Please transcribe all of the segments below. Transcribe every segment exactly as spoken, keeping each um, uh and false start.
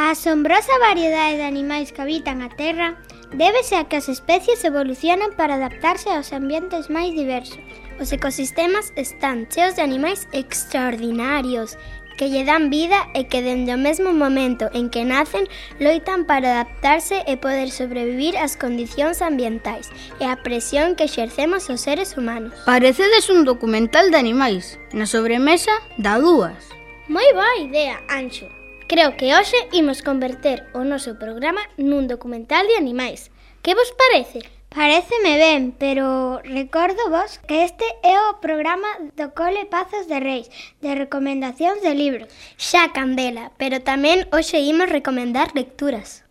A asombrosa variedade de animais que habitan a Terra débese a que as especies evolucionan para adaptarse aos ambientes máis diversos. Os ecosistemas están cheos de animais extraordinarios que lle dan vida e que dende o mesmo momento en que nacen loitan para adaptarse e poder sobrevivir ás condicións ambientais e á presión que exercemos os seres humanos. Parecedes un documental de animais. Na sobremesa dá dúas. Moi boa idea, Anxo. Creo que hoxe imos converter o noso programa nun documental de animais. Que vos parece? Paréceme ben, pero recordo vos que este é o programa do Cole Pazos de Reis, de recomendacións de libros. Xa, Candela, pero tamén hoxe imos recomendar lecturas.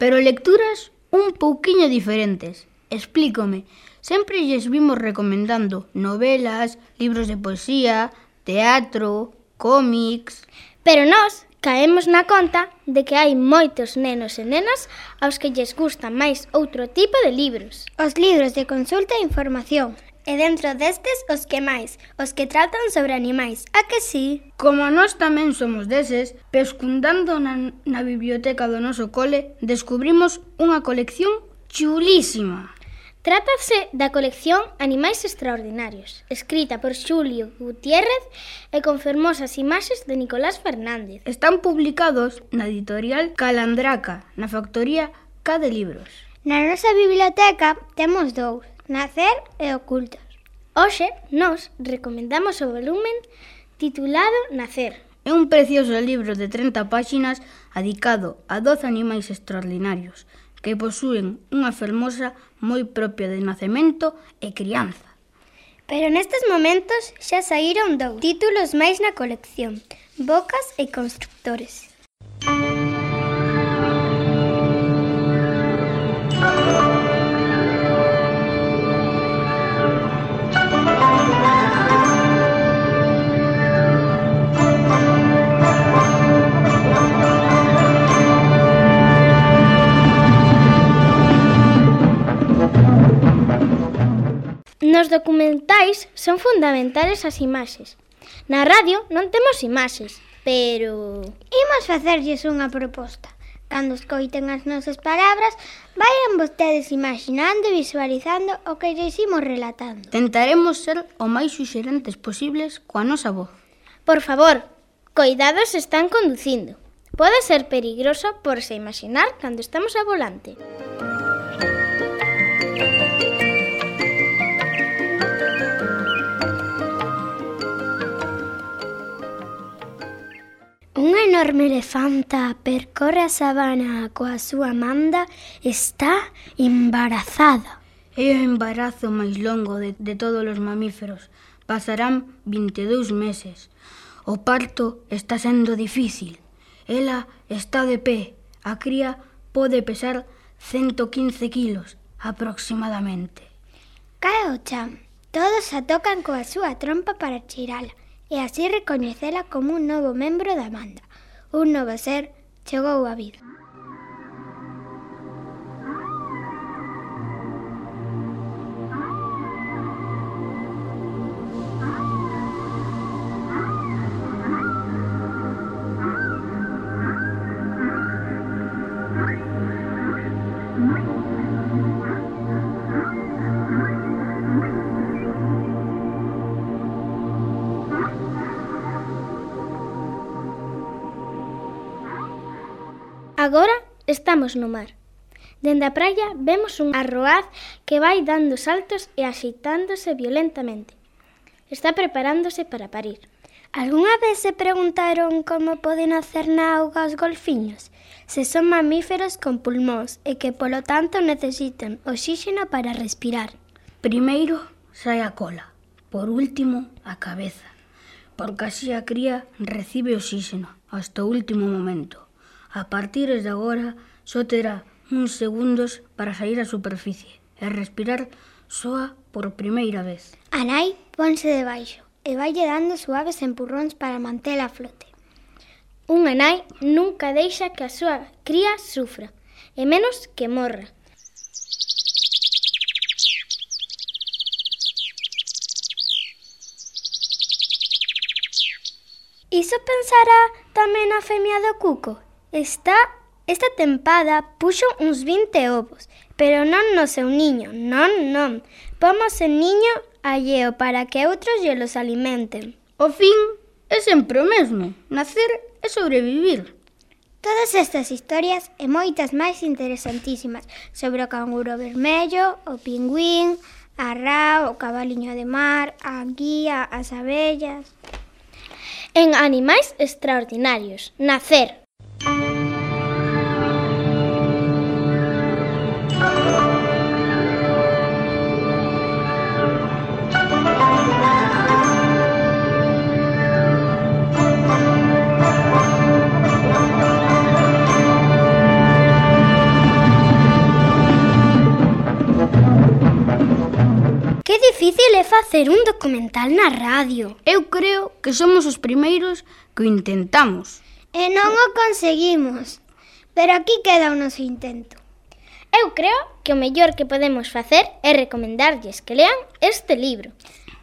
Pero lecturas un pouquiño diferentes. Explícome, sempre lles vimos recomendando novelas, libros de poesía, teatro, cómics... Pero nós caemos na conta de que hai moitos nenos e nenas aos que lles gustan máis outro tipo de libros. Os libros de consulta e información. E dentro destes, os que máis, os que tratan sobre animais. A que sí? Como nós tamén somos deses, pescundando na, na biblioteca do noso cole, descubrimos unha colección chulísima. Trátase da colección Animais Extraordinarios, escrita por Xulio Gutiérrez e con fermosas imaxes de Nicolás Fernández. Están publicados na editorial Calandraca, na factoría K de Libros. Na nosa biblioteca temos dous, Nacer e Ocultos. Hoxe, nós recomendamos o volumen titulado Nacer. É un precioso libro de trinta páxinas adicado a doce animais extraordinarios que posúen unha fermosa moi propia de nacemento e crianza. Pero nestes momentos xa saíron dous títulos máis na colección, Bocas e Constructores. Nos documentais son fundamentales as imaxes. Na radio non temos imaxes, pero... Imos facerlles unha proposta. Cando escoiten as nosas palabras, vayan vostedes imaginando e visualizando o que lles imos relatando. Tentaremos ser o máis suxerentes posibles coa nosa voz. Por favor, coidado se están conducindo. Pode ser perigroso por se imaginar cando estamos a volante. Unha enorme elefanta percorre a sabana coa súa manda e está embarazada. É o embarazo máis longo de, de todos os mamíferos. Pasarán vinte e dous meses. O parto está sendo difícil. Ela está de pé. A cría pode pesar ciento quince kilos aproximadamente. Cae o chan. Todos a tocan coa súa trompa para cheirala e así recoñecela como un novo membro da banda. Un novo ser chegou á vida. Agora estamos no mar. Dende a praia vemos un arroaz que vai dando saltos e axeitándose violentamente. Está preparándose para parir. Algúnha vez se preguntaron como poden hacer na auga os golfiños? Se son mamíferos con pulmóns e que polo tanto necesitan oxígeno para respirar. Primeiro sai a cola, por último a cabeza, porque así a cría recibe oxígeno hasta o último momento. A partir de agora, só terá uns segundos para sair á superficie e respirar soa por primeira vez. A nai ponse debaixo e vaille dando suaves empurróns para mantela a flote. Unha nai nunca deixa que a súa cría sufra, e menos que morra. Iso pensará tamén a femia do cuco? Está Esta tempada puxo uns vinte ovos, pero non no seu niño, non, non. Pomos en niño alleo para que outros lle los alimenten. O fin é sempre o mesmo, nacer e sobrevivir. Todas estas historias e moitas máis interesantísimas sobre o canguro vermello, o pingüín, a ra, o cabaliño de mar, a guía, as abellas. En Animais Extraordinarios, Nacer. Que difícil é facer un documental na radio. Eu creo que somos os primeiros que o intentamos. E non o conseguimos. Pero aquí queda o noso intento. Eu creo que o mellor que podemos facer é recomendarlles que lean este libro.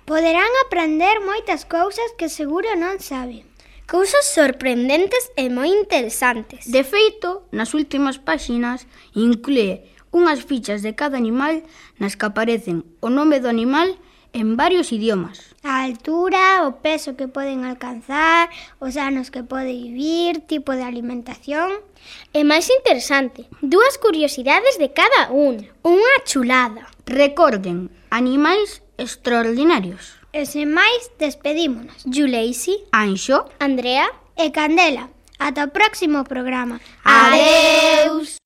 Poderán aprender moitas cousas que seguro non saben. Cousas sorprendentes e moi interesantes. De feito, nas últimas páxinas inclúe unhas fichas de cada animal nas que aparecen o nome do animal en varios idiomas. A altura, o peso que poden alcanzar, os anos que pode vivir, tipo de alimentación. E máis interesante, dúas curiosidades de cada un. Unha chulada. Recorden, Animais Extraordinarios. E sen máis, despedímonos. Yuleisi, Anxo, Andrea e Candela. Ata o próximo programa. Adeus!